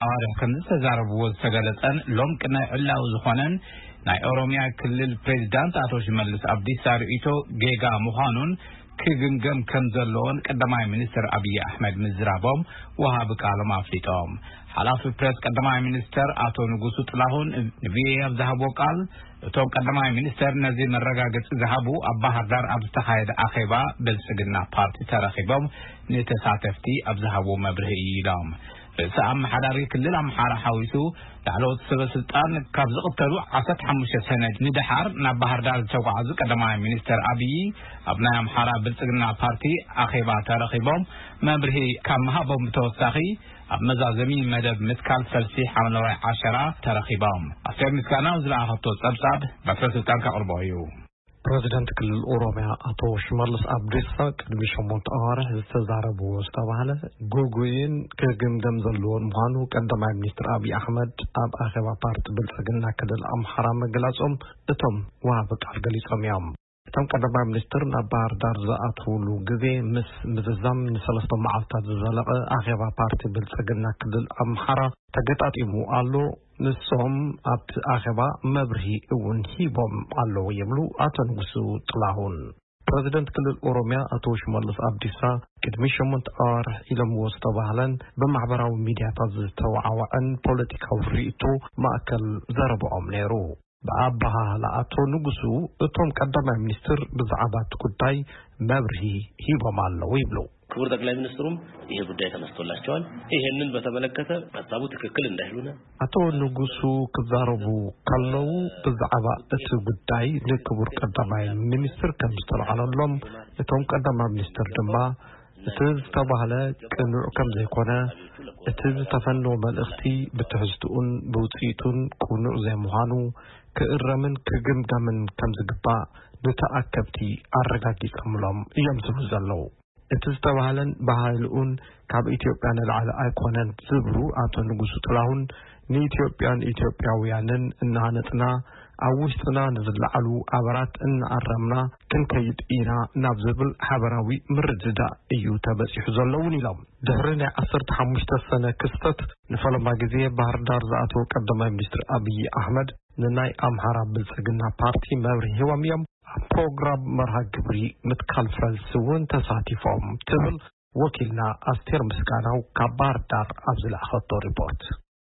ኣዋርሕ ከም ዝተዛረብዎ ዝተገለጸን ሎምቂ ናይ ዕላዊ ዝኾነን ናይ ኦሮሚያ ክልል ፕሬዚዳንት ኣቶ ሽመልስ ኣብዲሳ ርእይቶ ጌጋ ምዃኑን ክግምገም ከም ዘለዎን ቀዳማይ ሚኒስትር ኣብይ ኣሕመድ ምዝራቦም ወሃቢ ቃሎም ኣፍሊጦም። ሓላፊ ፕሬስ ቀዳማይ ሚኒስትር ኣቶ ንጉሱ ጥላሁን ንቪኦኤ ኣብ ዝሃብዎ ቃል፣ እቶም ቀዳማይ ሚኒስትር ነዚ መረጋገጺ ዝሃቡ ኣብ ባህር ዳር ኣብ ዝተኻየደ ኣኼባ ብልጽግና ፓርቲ ተረኺቦም ንተሳተፍቲ ኣብ ዝሃብዎ መብርሂ እዩ ኢሎም። ርእሰ ኣመሓዳሪ ክልል ኣምሓራ ሓዊሱ ላዕለዎት ሰበ ስልጣን ካብ ዝቕተሉ ዓሰርተ ሓሙሽተ ሰነ ንደሓር ናብ ባህር ዳር ዝተጓዓዙ ቀዳማይ ሚኒስትር ኣብይ፣ ኣብ ናይ ኣምሓራ ብልጽግና ፓርቲ ኣኼባ ተረኺቦም መብርሂ ካብ ምሃቦም ብተወሳኺ፣ ኣብ መዛዘሚ መደብ ምትካል ፈልሲ ሓምለዋይ ዓሸራ ተረኺቦም። ኣስቴር ምስጋናው ዝለኣኸቶ ጸብጻብ በትረ ስልጣን ከቕርቦ እዩ። ፕሬዚደንት ክልል ኦሮሚያ ኣቶ ሽመልስ ኣብዲሳ ቅድሚ ሸሞንተ ኣዋርሕ ዝተዛረብዎ ዝተባህለ ግጉይን ክግምገም ዘለዎን ምዃኑ ቀዳማይ ሚኒስትር ኣብይ ኣሕመድ ኣብ ኣኼባ ፓርቲ ብልጽግና ክልል ኣምሓራ ምግላጾም እቶም ወሃቢ ቃል ገሊጾም እዮም። እቶም ቀዳማይ ሚኒስትር ናብ ባህር ዳር ዝኣትውሉ ግዜ ምስ ምዝዛም ንሰለስተ መዓልታት ዝዘለቐ ኣኼባ ፓርቲ ብልጽግና ክልል ኣምሓራ ተገጣጢሙ ኣሎ። ንሶም ኣብቲ ኣኼባ መብርሂ እውን ሂቦም ኣለዉ ይብሉ ኣቶ ንጉሱ ጥላሁን። ፕሬዚደንት ክልል ኦሮሚያ ኣቶ ሽመልስ ኣብዲሳ ቅድሚ ሸሞንተ ኣዋርሕ ኢሎምዎ ዝተባህለን ብማሕበራዊ ሚዲያታት ዝተወዓወዐን ፖለቲካዊ ርእይቶ ማእከል ዘረብኦም ነይሩ። ብኣበሃህላ ኣቶ ንጉሱ፣ እቶም ቀዳማይ ሚኒስትር ብዛዕባ እቲ ጉዳይ መብርሂ ሂቦም ኣለዉ ይብሉ። ክቡር ጠቅላይ ሚኒስትሩም ይሄ ጉዳይ ተነስቶላቸዋል። ይሄንን በተመለከተ ሀሳቡ ትክክል እንዳይሉና። ኣቶ ንጉሱ ክዛረቡ ከለዉ ብዛዕባ እቲ ጉዳይ ንክቡር ቀዳማይ ሚኒስትር ከም ዝተልዓለሎም፣ እቶም ቀዳማይ ሚኒስትር ድማ እቲ ዝተባህለ ቅኑዕ ከም ዘይኮነ፣ እቲ ዝተፈነወ መልእኽቲ ብትሕዝትኡን ብውፅኢቱን ቅኑዕ ዘይምዃኑ ክእረምን ክግምገምን ከም ዝግባእ ንተኣከብቲ ኣረጋጊጸምሎም እዮም ዝብሉ ዘለዉ። እቲ ዝተባህለን ባህልኡን ካብ ኢትዮጵያ ንላዕሊ ኣይኮነን ዝብሉ ኣቶ ንጉሱ ጥላሁን፣ ንኢትዮጵያን ኢትዮጵያውያንን እናሃነጽና ኣብ ውሽጥና ንዝለዓሉ ኣበራት እናኣረምና ክንከይድ ኢና ናብ ዝብል ሓበራዊ ምርድዳእ እዩ ተበጺሑ ዘሎ እውን ኢሎም። ድሕሪ ናይ ዓሰርተ ሓሙሽተ ሰነ ክስተት ንፈለማ ግዜ ባህር ዳር ዝኣተወ ቀዳማይ ሚኒስትር ኣብይ ኣሕመድ ንናይ ኣምሓራ ብልጽግና ፓርቲ መብርሂ ሂቦም እዮም። ኣብ ፕሮግራም መርሃ ግብሪ ምትካል ፈልሲ እውን ተሳቲፎም ትብል ወኪልና ኣስቴር ምስጋናው ካብ ባህር ዳር ኣብ ዝለኣኸቶ ሪፖርት።